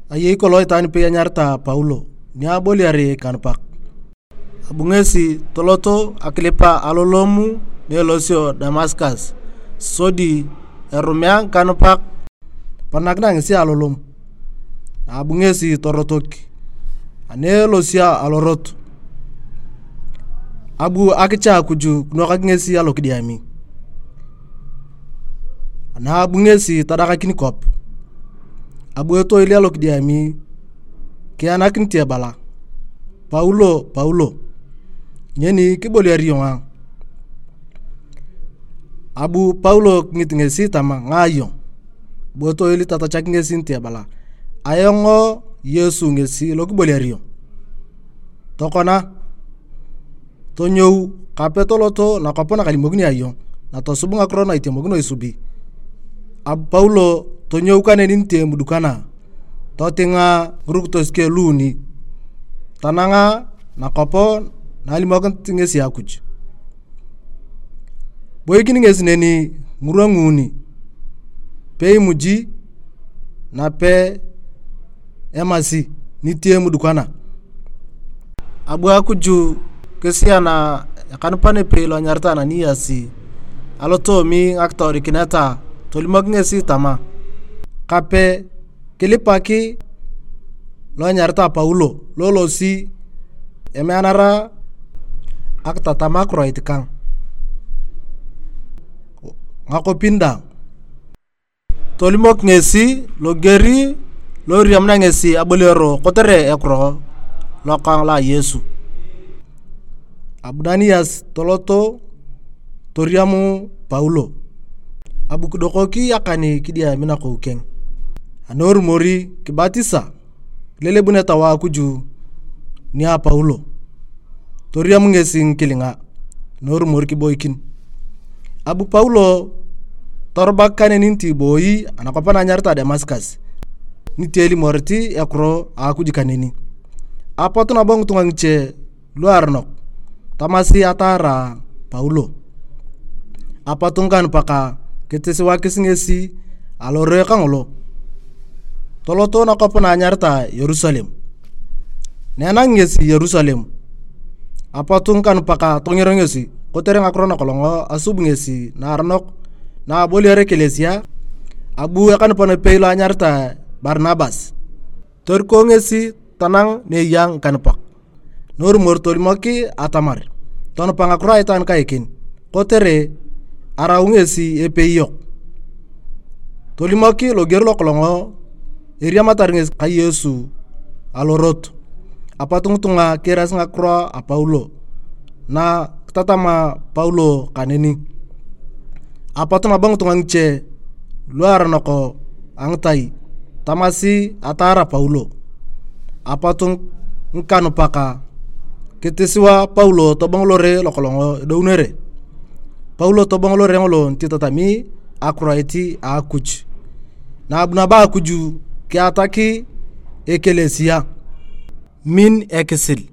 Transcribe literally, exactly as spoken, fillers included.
Ayei kolong itwaan ipei anyaritae Paulo ni aboliar ikanupak. Abu ngesi toloto akilipa alolomu na elosio Damaskas, sodi erumea ngikanupak. Eponakina ngesi alolom, abu ngesi torotok ani elosio alorot. Abu akicha Akuj kinuokak ngesi alokidiami. Ana abu ngesi tadakakin kwap, abu etoil alokidiami kianakinit ebala, "Paulo, Paulo, nyeni kiboliar iyong a?" Abu Paulo kingit ngesi tama, "Ngaayong?" Abu etoil tatachak ngesi niti ebala, "Ayong Yesu ngesi lokiboliar iyong. Tokona, tonyou kape toloto nakwap nakalimokini ayong, natosub ngakiro na itemokino isubi." Abu Paulo tonyou kaneni niti emudukana, totinga ngirukitos keng luuni, tananga nakwap na alimokinit ngesi Akuj. Boikin ngesi neni ngirwa nguuni, peimuji nape emasi niti emudukana. Abu Akuj kisiana ekanupan epei lo enyaritae Ananias alotoomi ngakitoodikinet, tolimok ngesi tama, "Kape kilipak lo enyaritae Paulo lo elosi emeanara akitatam akiroit kang ngakopin daang." Tolimok ngesi loger lo iriamuna ngesi aboliaro kotere ekiro lokang lo a Yesu. Abu Ananias toloto toriam Paulo, abu kidokoki akan kidiami nakou keng. Ani erumori kibatisa, kilelebun Etau a Akuj nia Paulo, toriam ngesi ngikilinga, ani erumori kiboikin. Abu Paulo torubak kaneni niti boi anakwap na anyaritae Damaskas, niti elimorit ekiro a Akuj kaneni. Apot nabo ngitunga ngiche luaronok tamasi ataara Paulo. Apot ngikanupak kitisiwakis ngesi alore kangolo, toloto nakwap na anyaritae Yerusalem. Na enangi ngesi Yerusalem, apot ngikanupak tonger ngesi kotere ngakiro nakolong asub ngesi naaronok na aboliar ekelesia. Abu ekanupan epei lo anyaritae Barnabas, toriko ngesi tanang ne eya ngikanupak. Norumor tolimok atamar tonupa ngakiro a itwaan kaiken, kotere arau ngesi epei yok. Tolimok loger lokolong eriamatar ngesi ka Yesu alorot. Apot ngitunga kiirasi ngakiro a Paulo na kitatama Paulo kaneni. Apot nabo ngitunga ngiche luaronok a ngitai tamasi ataara Paulo. Apot ngikanupak kitisiwa Paulo tobong lore lokolong edounere. Paulo tobong lore ngolo niti tatami akiroit a Akuj. Na abu nabo Akuj kiatak ekelesia, min ekisil.